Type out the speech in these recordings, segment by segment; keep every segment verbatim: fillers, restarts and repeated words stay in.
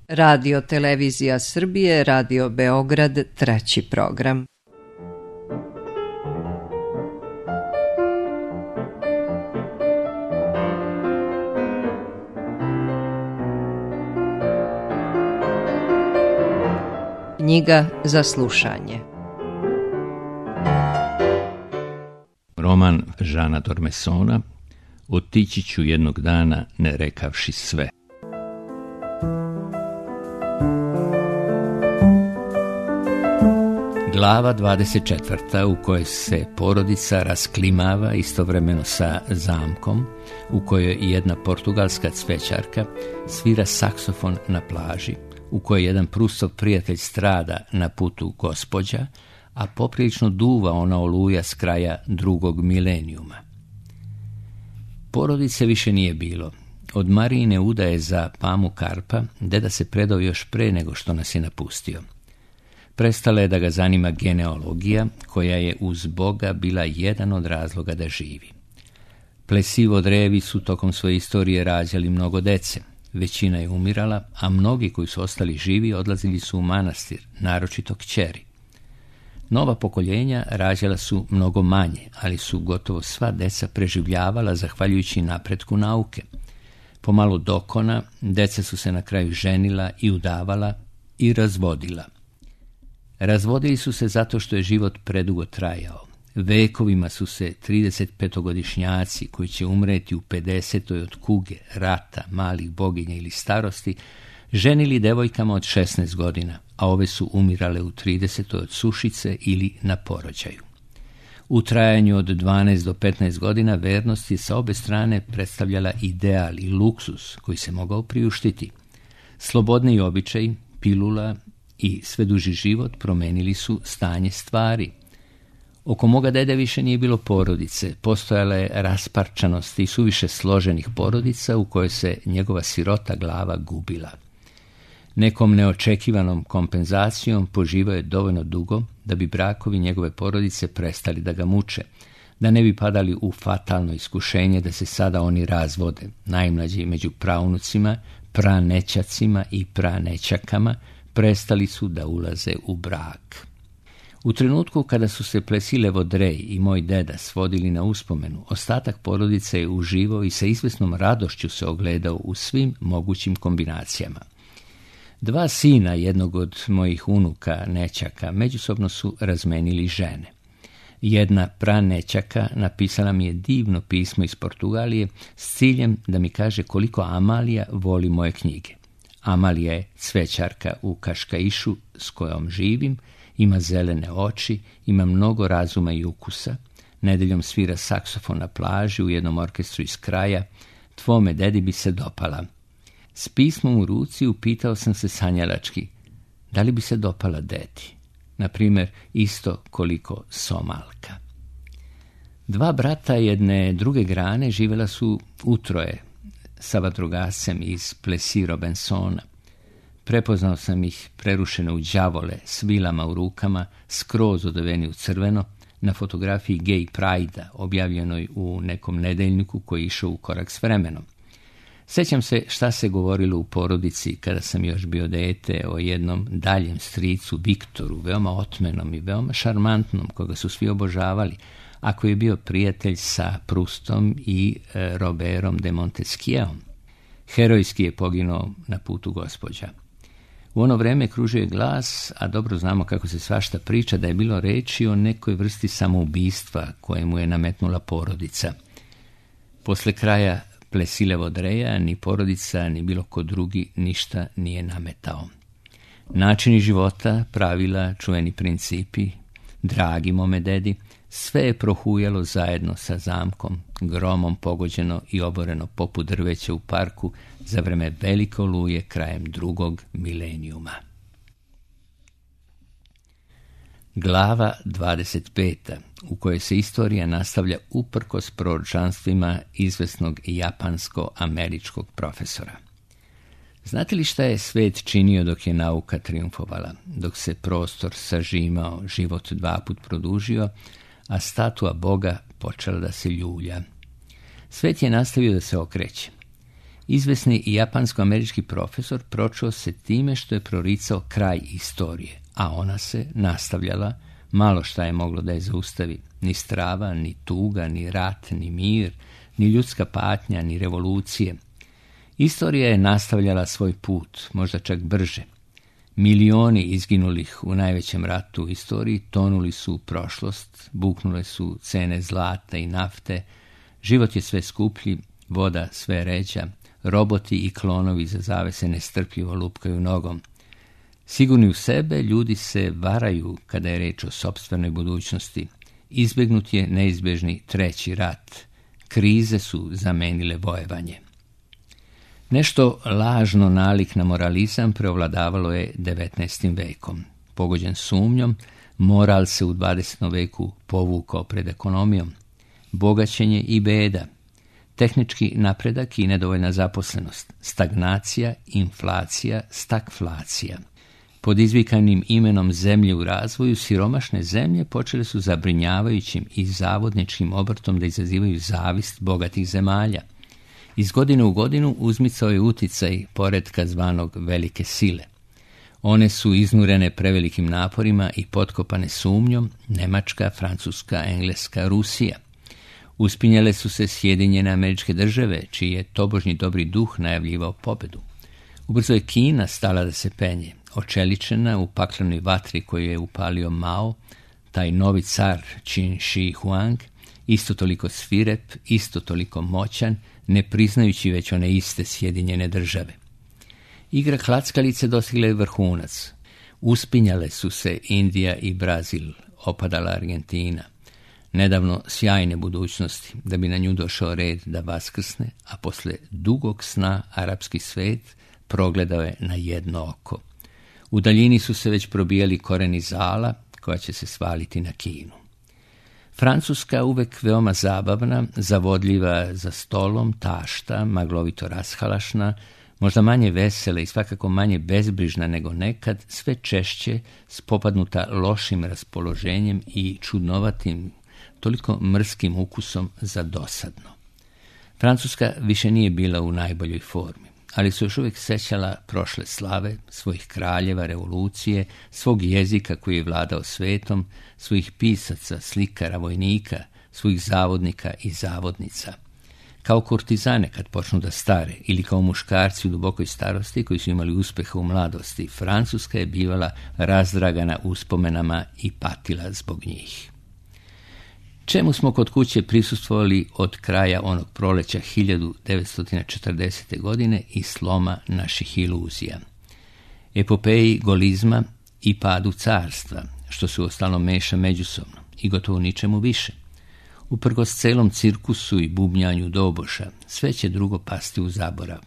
Radio Televizija Srbije, Radio Beograd, treći program. Knjiga za slušanje. Roman Jeana d'Ormesona Otići ću jednog dana ne rekavši sve. Glava dvadeset četvrta u kojoj se porodica rasklimava istovremeno sa zamkom, u kojoj jedna portugalska cvećarka svira saksofon na plaži, u kojoj jedan Prustov prijatelj strada na putu gospođa, a poprilično duva ona oluja s kraja drugog milenijuma. Porodice više nije bilo. Od Marijine udaje za Pamu Karpa deda se predao još pre nego što nas je napustio. Prestala je da ga zanima genealogija, koja je uz Boga bila jedan od razloga da živi. Plesivo drevi su tokom svoje istorije rađali mnogo dece. Većina je umirala, a mnogi koji su ostali živi odlazili su u manastir, naročito kćeri. Nova pokoljenja rađala su mnogo manje, ali su gotovo sva deca preživljavala zahvaljujući napretku nauke. Pomalo dokona, deca su se na kraju ženila i udavala i razvodila. Razvodili su se zato što je život predugo trajao. Vekovima su se tridesetpetogodišnjaci koji će umreti u pedesetoj od kuge, rata, malih boginja ili starosti, ženili devojkama od šesnaest godina, a ove su umirale u tridesetoj od sušice ili na porođaju. U trajanju od dvanaest do petnaest godina vernost je sa obe strane predstavljala ideal i luksus koji se mogao priuštiti. Slobodni običaji, pilula i sve duži život promenili su stanje stvari. Oko moga dede više nije bilo porodice, postojala je rasparčanost i suviše složenih porodica u kojoj se njegova sirota glava gubila. Nekom neočekivanom kompenzacijom poživao je dovoljno dugo da bi brakovi njegove porodice prestali da ga muče, da ne bi padali u fatalno iskušenje da se sada oni razvode, najmlađi među praunucima, pranećacima i pranećakama, prestali su da ulaze u brak. U trenutku kada su se Plesilevo Drej i moj deda svodili na uspomenu, ostatak porodice je uživao i sa izvesnom radošću se ogledao u svim mogućim kombinacijama. Dva sina jednog od mojih unuka, nećaka, međusobno su razmenili žene. Jedna pranećaka napisala mi je divno pismo iz Portugalije s ciljem da mi kaže koliko Amalija voli moje knjige. Amalija je cvećarka u Kaškaišu s kojom živim, ima zelene oči, ima mnogo razuma i ukusa, nedeljom svira saksofon na plaži u jednom orkestru iz kraja, tvome dedi bi se dopala. S pismom u ruci upitao sam se sanjalački, da li bi se dopala deti, na primjer isto koliko Somalka. Dva brata jedne druge grane živjela su utroje sa vatrogascem iz Plessis Robinsona. Prepoznao sam ih prerušene u đavole, s vilama u rukama, skroz odeveni u crveno, na fotografiji Gay Pride-a, objavljenoj u nekom nedeljniku koji je išao u korak s vremenom. Sjećam se šta se govorilo u porodici kada sam još bio dete o jednom daljem stricu Viktoru, veoma otmenom i veoma šarmantnom, koga su svi obožavali, a koji je bio prijatelj sa Prustom i e, Robertom de Montesquieuom. Herojski je poginuo na putu gospođa. U ono vreme kružio je glas, a dobro znamo kako se svašta priča, da je bilo reči o nekoj vrsti samoubistva koje mu je nametnula porodica. Posle kraja Plesilevo Dreja ni porodica, ni bilo ko drugi ništa nije nametao. Načini života, pravila, čuveni principi, dragi mome dedi, sve je prohujalo zajedno sa zamkom, gromom pogođeno i oboreno poput drveća u parku za vreme velike oluje krajem drugog milenijuma. Glava dvadeset peta, u kojoj se istorija nastavlja uprkos proročanstvima izvesnog japansko-američkog profesora. Znate li šta je svet činio dok je nauka triumfovala, dok se prostor sažimao, život dva put produžio, a statua Boga počela da se ljulja? Svet je nastavio da se okreće. Izvesni japansko-američki profesor pročuo se time što je proricao kraj istorije, a ona se nastavljala, malo šta je moglo da je zaustavi, ni strava, ni tuga, ni rat, ni mir, ni ljudska patnja, ni revolucije. Istorija je nastavljala svoj put, možda čak brže. Milioni izginulih u najvećem ratu u istoriji tonuli su u prošlost, buknule su cene zlata i nafte, život je sve skuplji, voda sve ređa, roboti i klonovi za zavese nestrpljivo lupkaju nogom. Sigurni u sebe, ljudi se varaju kada je reč o sopstvenoj budućnosti. Izbegnut je neizbežni treći rat. Krize su zamenile vojevanje. Nešto lažno nalik na moralizam preovladavalo je devetnaestim vekom. Pogođen sumnjom, moral se u dvadesetom veku povukao pred ekonomijom. Bogaćenje i beda, tehnički napredak i nedovoljna zaposlenost, stagnacija, inflacija, stagflacija. Pod izvikanim imenom zemlje u razvoju, siromašne zemlje počele su zabrinjavajućim i zavodničkim obrtom da izazivaju zavist bogatih zemalja. Iz godine u godinu uzmicao je uticaj poretka zvanog velike sile. One su iznurene prevelikim naporima i potkopane sumnjom Nemačka, Francuska, Engleska, Rusija. Uspinjale su se Sjedinjene Američke Države, čiji je tobožnji dobri duh najavljivao pobedu. Ubrzo je Kina stala da se penje, očeličena u paklenoj vatri koju je upalio Mao, taj novi car Qin Shi Huang, isto toliko svirep, isto toliko moćan, ne priznajući već one iste Sjedinjene Države. Igra klackalice dostigla je vrhunac. Uspinjale su se Indija i Brazil, opadala Argentina. Nedavno sjajne budućnosti, da bi na nju došao red da vaskrsne, a posle dugog sna arapski svet progledao je na jedno oko. U daljini su se već probijali koreni zala, koja će se svaliti na Kinu. Francuska, uvek veoma zabavna, zavodljiva za stolom, tašta, maglovito rashalašna, možda manje vesela i svakako manje bezbrižna nego nekad, sve češće spopadnuta lošim raspoloženjem i čudnovatim, toliko mrskim ukusom za dosadno. Francuska više nije bila u najboljoj formi, ali su još uvijek sećala prošle slave, svojih kraljeva, revolucije, svog jezika koji je vladao svetom, svojih pisaca, slikara, vojnika, svojih zavodnika i zavodnica. Kao kurtizane kad počnu da stare ili kao muškarci u dubokoj starosti koji su imali uspeha u mladosti, Francuska je bivala razdragana uspomenama i patila zbog njih. Čemu smo kod kuće prisustvovali od kraja onog proleća hiljadu devetsto četrdesete. godine i sloma naših iluzija? Epopeji golizma i padu carstva, što se uostalom meša međusobno i gotovo ničemu više. Uprkos celom cirkusu i bubnjanju doboša, sve će drugo pasti u zaborav.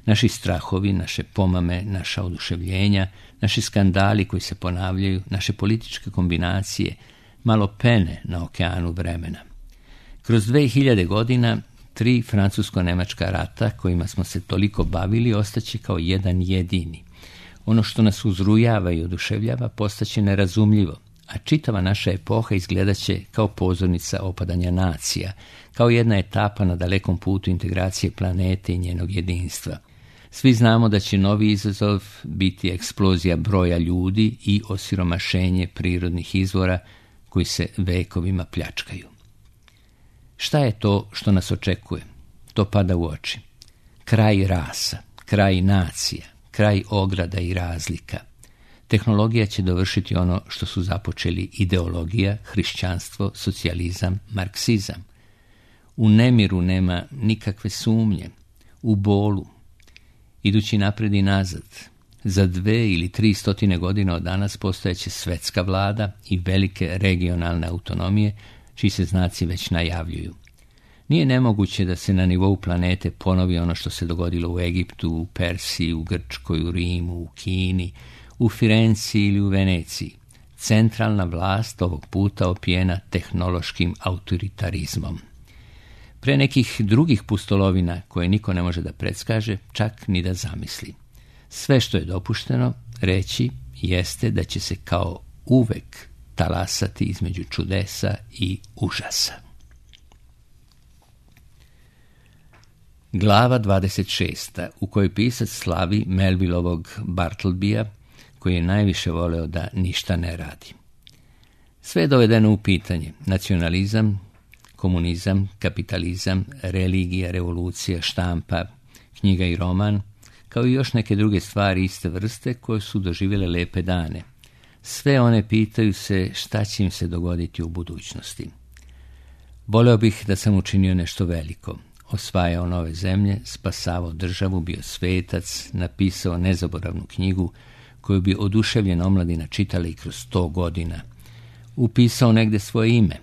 Naši strahovi, naše pomame, naša oduševljenja, naši skandali koji se ponavljaju, naše političke kombinacije, malo pene na okeanu vremena. Kroz dve hiljade godina, tri francusko-nemačka rata kojima smo se toliko bavili ostaće kao jedan jedini. Ono što nas uzrujava i oduševljava postaće nerazumljivo, a čitava naša epoha izgledaće kao pozornica opadanja nacija, kao jedna etapa na dalekom putu integracije planete i njenog jedinstva. Svi znamo da će novi izazov biti eksplozija broja ljudi i osiromašenje prirodnih izvora koji se vekovima pljačkaju. Šta je to što nas očekuje? To pada u oči. Kraj rasa, kraj nacija, kraj ograda i razlika. Tehnologija će dovršiti ono što su započeli ideologija, hrišćanstvo, socijalizam, marksizam. U nemiru nema nikakve sumnje, u bolu, idući napred i nazad. Za dve ili tri stotine godina od danas postojeće svetska vlada i velike regionalne autonomije, čiji se znaci već najavljuju. Nije nemoguće da se na nivou planete ponovi ono što se dogodilo u Egiptu, u Persiji, u Grčkoj, u Rimu, u Kini, u Firenci ili u Veneciji. Centralna vlast ovog puta opijena tehnološkim autoritarizmom. Pre nekih drugih pustolovina koje niko ne može da predskaže, čak ni da zamisli. Sve što je dopušteno reći jeste da će se kao uvek talasati između čudesa i užasa. Glava dvadeset šest. u kojoj pisac slavi Melvillovog Bartlebya, koji je najviše voleo da ništa ne radi. Sve je dovedeno u pitanje. Nacionalizam, komunizam, kapitalizam, religija, revolucija, štampa, knjiga i roman, kao i još neke druge stvari iste vrste koje su doživjele lepe dane. Sve one pitaju se šta će im se dogoditi u budućnosti. Voleo bih da sam učinio nešto veliko. Osvajao nove zemlje, spasavao državu, bio svetac, napisao nezaboravnu knjigu koju bi oduševljena omladina čitala i kroz sto godina. Upisao negde svoje ime.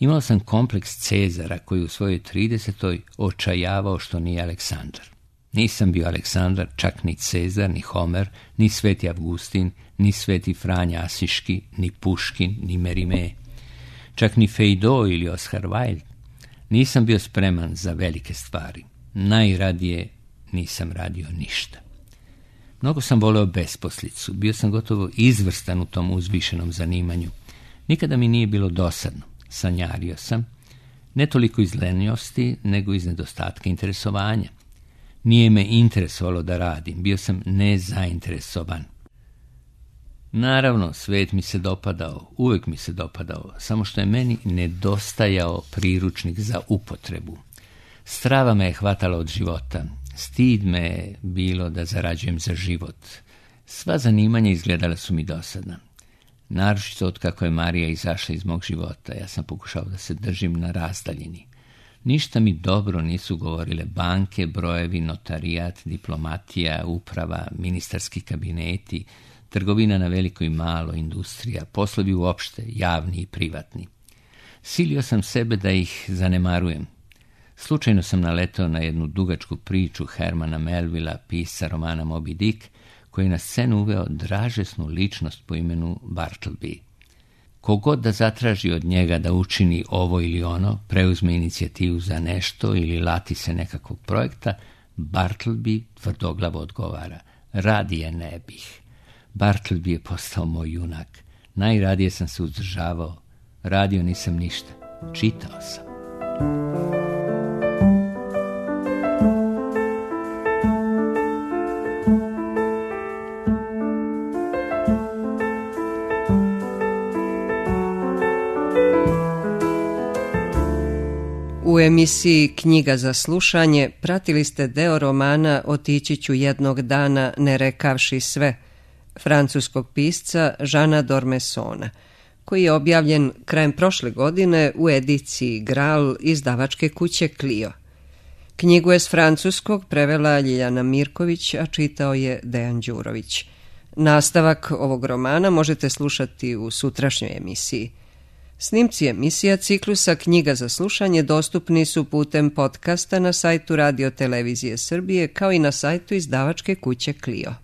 Imao sam kompleks Cezara koji u svojoj tridesetoj očajavao što nije Aleksandar. Nisam bio Aleksandar, čak ni Cezar, ni Homer, ni Sveti Avgustin, ni Sveti Franja Asiški, ni Puškin, ni Merime. Čak ni Feydeau ili Oscar Wilde. Nisam bio spreman za velike stvari. Najradije nisam radio ništa. Mnogo sam voleo besposlicu. Bio sam gotovo izvrstan u tom uzvišenom zanimanju. Nikada mi nije bilo dosadno. Sanjario sam, ne toliko iz lenjosti, nego iz nedostatka interesovanja. Nije me interesovalo da radim, bio sam nezainteresovan. Naravno, svet mi se dopadao, uvijek mi se dopadao, samo što je meni nedostajao priručnik za upotrebu. Strava me je hvatala od života, stid me je bilo da zarađujem za život. Sva zanimanja izgledala su mi dosadna. Naročito od kako je Marija izašla iz mog života, ja sam pokušao da se držim na razdaljini. Ništa mi dobro nisu govorile banke, brojevi, notarijat, diplomatija, uprava, ministarski kabineti, trgovina na veliko i malo, industrija, poslovi uopšte, javni i privatni. Silio sam sebe da ih zanemarujem. Slučajno sam naletao na jednu dugačku priču Hermana Melvilla, pisca romana Moby Dick, koji je na scenu uveo dražesnu ličnost po imenu Bartleby. Kogod da zatraži od njega da učini ovo ili ono, preuzme inicijativu za nešto ili lati se nekakvog projekta, Bartleby tvrdoglavo odgovara: radije ne bih. Bartleby je postao moj junak. Najradije sam se uzdržavao. Radio nisam ništa. Čitao sam. U emisiji Knjiga za slušanje pratili ste deo romana Otići ću jednog dana ne rekavši sve, francuskog pisca Jeana d'Ormessona, koji je objavljen krajem prošle godine u ediciji Graal izdavačke kuće Clio. Knjigu je s francuskog prevela Ljiljana Mirković, a čitao je Dejan Đurović. Nastavak ovog romana možete slušati u sutrašnjoj emisiji. Snimci emisija ciklusa Knjiga za slušanje dostupni su putem podcasta na sajtu Radio Televizije Srbije, kao i na sajtu izdavačke kuće Clio.